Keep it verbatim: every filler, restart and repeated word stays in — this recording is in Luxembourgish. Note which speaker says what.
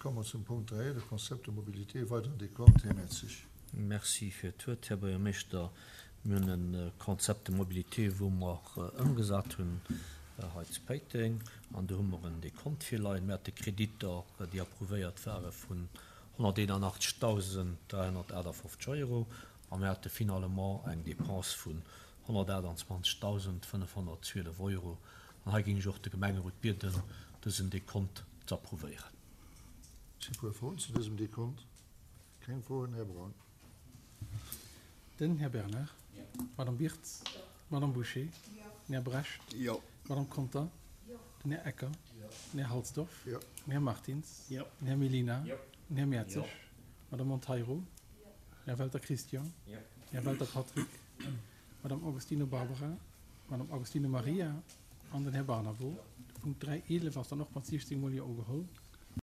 Speaker 1: komme mer zum Punkt dräi, de Concept de mobilité, weideren Dekont. Här Mertzig.
Speaker 2: Merci fir d'Wuert, Här Buergermeeschter. Mir hunn e Concept de mobilité, wou mer ëmgesat hunn hei zu Péiteng, an do hu mer en Dekont virleien. Mir hate Kreditter, déi approuvéiert ware vun honnerteenunnachtzegsdausend dräihonnertaachtafoffzeg Euro, a mir hate finalement eng Dépense vun honnertachtanzwanzegdausend fënnefhonnertzwielef Euro. An hei géing ech och de Gemengerot bieden, dësen Dekont ze approuvéieren.
Speaker 1: Si puer Froen zu dësem Dekont? Keng Froen. Här Braun.
Speaker 3: Den Här Bernard. D'Madame Birtz. D'Madame Bouché. Den Här Brecht. D'Madame Conter. Den Här Ecker. Den Här Halsdorf. Den Här Martins. Den Här Mellina. Den Här Mertzig. D'Madame Monteiro. Den Här Welter Christian. Den Här Welter Patrick. D'Madame Augustino Barbara. D'Madame Augustino Maria an den Här Barnabo. De Punkt dräi eelef ass dann och mat siechzéng Mol Jo ugeholl.